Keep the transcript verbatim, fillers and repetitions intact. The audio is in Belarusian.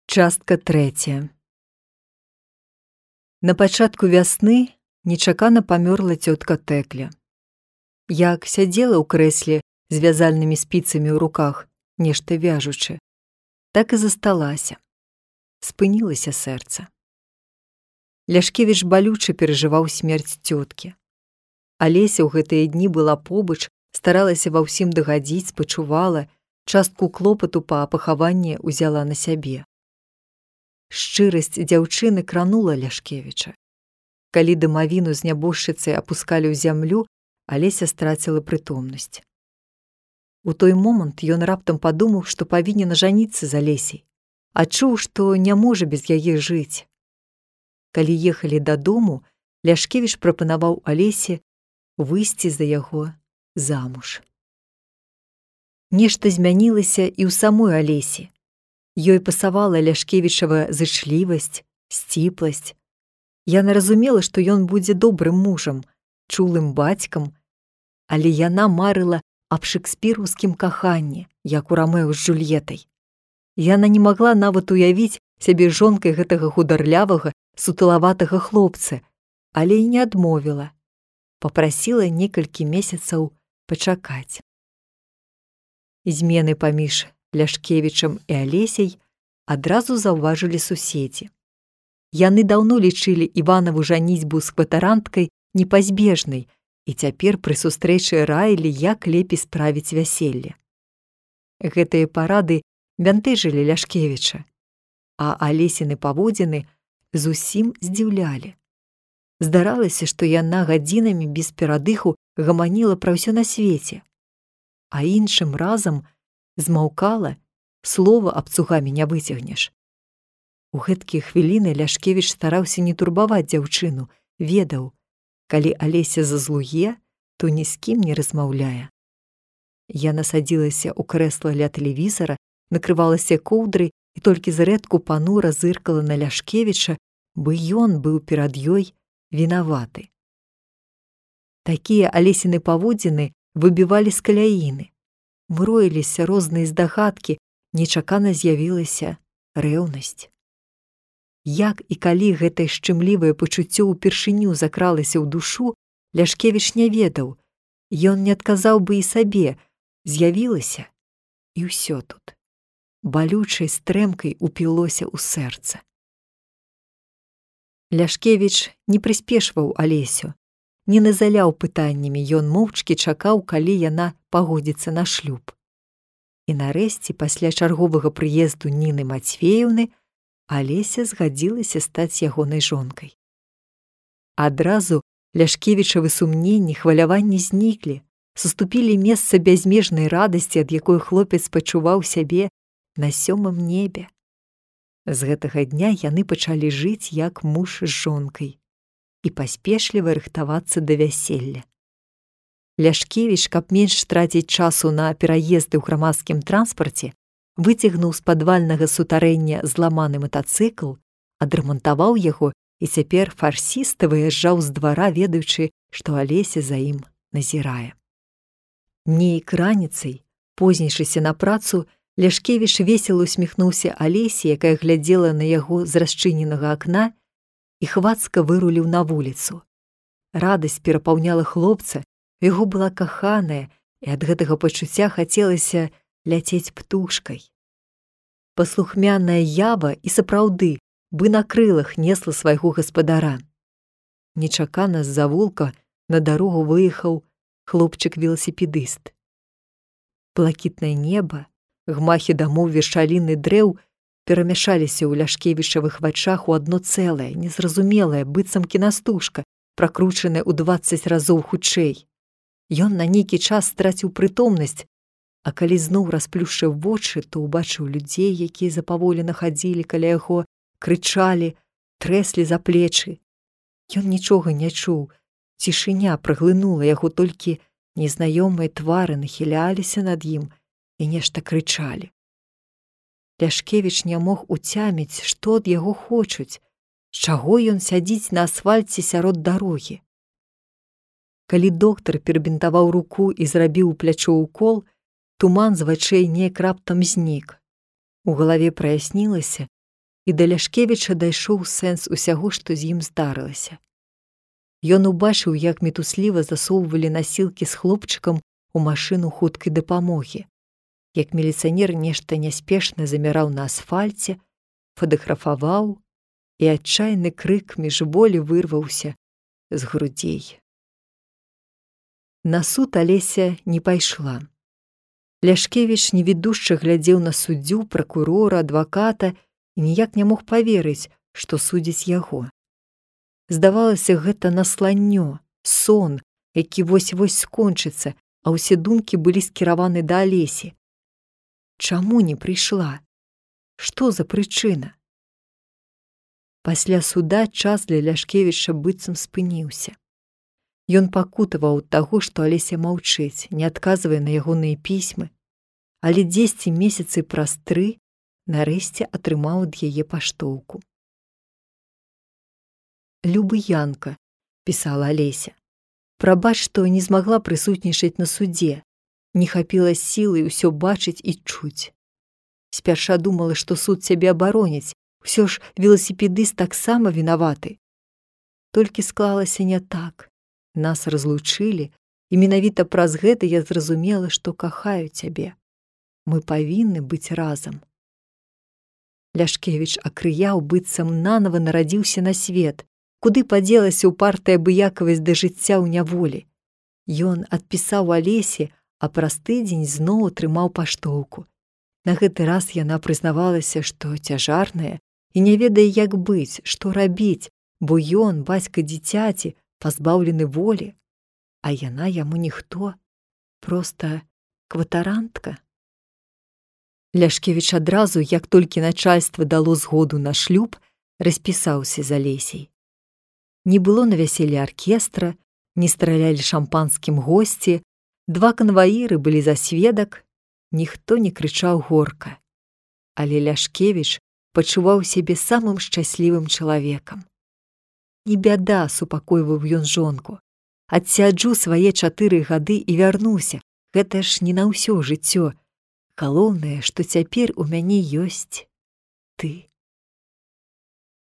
Частка трэцяя. На пачатку вясны нечакана памёрла цётка Тэкля. Як сядзела ў крэсле з вязальнымі спіцамі ў руках, нешта вяжучы, так і засталася. Спынілася сэрца. Ляшкевіч балюча перажываў смерць цёткі. Алеся ў гэтыя дні была побач, старалася ва ўсім дагадзіць, спачувала, частку клопату па пахаванні ўзяла на сябе. Шчырасць дзяўчыны кранула Ляшкевіча. Калі дамавіну з нябожчыцай апускалі ў зямлю, Алеся страціла прытомнасць. У той момант ён раптам падумаў, што павінен ажаніцца з Алесяй, адчуў, што не можа без яе жыць. Калі ехалі дадому, Ляшкевіч прапанаваў Алесе выйсці за яго замуж. Нешта змянілася і ў самой Алесі. Ёй пасавала Ляшкевічава зычлівасць, сціпласць. Яна разумела, што ён будзе добрым мужам, чулым бацькам, але яна марыла аб шэкспіраўскім каханні, як у Рамео з Джульетай. Яна не магла нават уявіць сябе жонкай гэтага хударлявага, сутылаватага хлопца, але і не адмовіла. Папрасіла некалькі месяцаў пачакаць. Змены паміж Ляшкевічам і Алесяй адразу заўважылі суседзі. Яны даўно лічылі Іванаву жаніцьбу з кватаранткай непазбежнай і цяпер пры сустрэчы раілі, як лепей справіць вяселле. Гэтыя парады бянтэжылі Ляшкевіча, а Алесіны паводзіны зусім здзіўлялі. Здаралася, што яна гадзінамі без перадыху гаманіла пра ўсё на свеце, а іншым разам змаўкала, слова абцугамі не выцягнеш. У гэткія хвіліны Ляшкевіч стараўся не турбаваць дзяўчыну, ведаў, калі Алеся зазлуе, то ні з кім не размаўляе. Яна садзілася ў крэсла ля тэлевізара, накрывалася коўдрай і толькі зрэдку панура зыркала на Ляшкевіча, бо ён быў перад ёй вінаваты. Такія Алесіны паводзіны выбівалі з каляіны. Мроіліся розныя здагадкі, нечакана з'явілася рэўнасць. Як і калі гэтае шчымлівае пачуццё ўпершыню закралася ў душу, Ляшкевіч не ведаў, ён не адказаў бы і сабе, з'явілася, і ўсё тут. Балючай стрэмкай упілося ў сэрца. Ляшкевіч не прыспешваў Алесю, не назаляў пытаннямі, ён моўчкі чакаў, калі яна пагодзіцца на шлюб. І нарэшце, пасля чарговага прыезду Ніны Мацвееўны, Алеся згадзілася стаць ягонай жонкай. Адразу Ляшкевічавы сумненні, хваляванні зніклі, саступілі месца бязмежнай радасці, ад якой хлопец пачуваў сябе на сёмым небе. З гэтага дня яны пачалі жыць як муж з жонкай і паспешліва рыхтавацца да вяселля. Ляшкевіч, каб менш траціць часу на пераезды ў грамадскім транспарце, выцягнуў з падвальнага сутарэння зламаны матацыкл, адрамантаваў яго і цяпер фарсіста выязджаў з двара, ведаючы, што Алеся за ім назірае. Нейк раніцай, познейшыся на працу, Ляшкевіч весела усміхнуўся Алесе, якая глядзела на яго з расчыненага акна, і хвацка выруліў на вуліцу. Радасць перапаўняла хлопца, яго была каханая, і ад гэтага пачуцця хацелася ляцець птушкай. Паслухмяная Ява і сапраўды бы на крылах несла свайго гаспадара. Нечакана з завулка на дарогу выехаў хлопчык-веласіпедыст. Блакітнае неба, гмахі дамоў, вершаліны дрэў перамяшаліся ў Ляшкевічавых вачах у адно цэлае, незразумелае, быццам кінастужка, пракручаная ў дваццаць разоў хутчэй. Ён на нейкі час страціў прытомнасць, а калі зноў расплюшчыў вочы, то ўбачыў людзей, якія запаволена хадзілі каля яго, крычалі, трэслі за плечы. Ён нічога не чуў, цішыня праглынула яго, толькі незнаёмыя твары нахіляліся над ім і нешта крычалі. Ляшкевіч не мог уцяміць, што ад яго хочуць, з чаго ён сядзіць на асфальце сярод дарогі. Калі доктар перабінтаваў руку і зрабіў у плячо укол, туман з вачэй неяк раптам знік. У галаве праяснілася, і да Ляшкевіча дайшоў сэнс усяго, што з ім здарылася. Ён убачыў, як мітусліва засоўвалі насілкі з хлопчыкам у машыну хуткай дапамогі, як міліцыянер нешта няспешна заміраў на асфальце, фатаграфаваў, і адчайны крык міжволі вырваўся з грудзей. На суд Алеся не пайшла. Ляшкевіч невідушча глядзеў на суддзю, пракурора, адваката і ніяк не мог паверыць, што судзіць яго. Здавалася, гэта насланнё, сон, які вось-вось скончыцца, а ўсе думкі былі скіраваны да Алесі. Чаму не прыйшла? Што за прычына? Пасля суда час для Ляшкевіча быццам спыніўся. Ён пакутаваў ад таго, што Алеся маўчыць, не адказвае на ягоныя пісьмы, але дзесьці месяцы праз тры нарэшце атрымаў ад яе паштоўку. «Любы Янка», – пісала Алеся, – «прабач, што не змагла прысутнічаць на судзе, не хапіла сілы ўсё бачыць і чуць. Спярша думала, што суд цябе абароніць, усё ж веласіпедыст таксама вінаваты. Толькі склалася не так. Нас разлучылі, і менавіта праз гэта я зразумела, што кахаю цябе. Мы павінны быць разам». Ляшкевіч акрыяў, быццам нанава нарадзіўся на свет. Куды падзелася ўпартая абыякавасць да жыцця ў няволі? Ён адпісаў Алесе, а праз тыдзень зноў атрымаў паштоўку. На гэты раз яна прызнавалася, што цяжарная і не ведае, як быць, што рабіць, бо ён, бацька дзіцяці, пазбаўлены волі, а яна яму ніхто, проста кватарантка. Ляшкевіч адразу, як толькі начальства дало згоду на шлюб, распісаўся з Алесей. Не было на вяселлі аркестра, не стралялі шампанскім госці, два канваіры былі за сведак, ніхто не крычаў горка. Але Ляшкевіч пачуваў сябе самым шчаслівым чалавекам. «Не бяда», – супакойваў ён жонку, – «адсяджу свае чатыры гады і вярнуся, гэта ж не на ўсё жыццё. Галоўнае, што цяпер у мяне ёсць ты».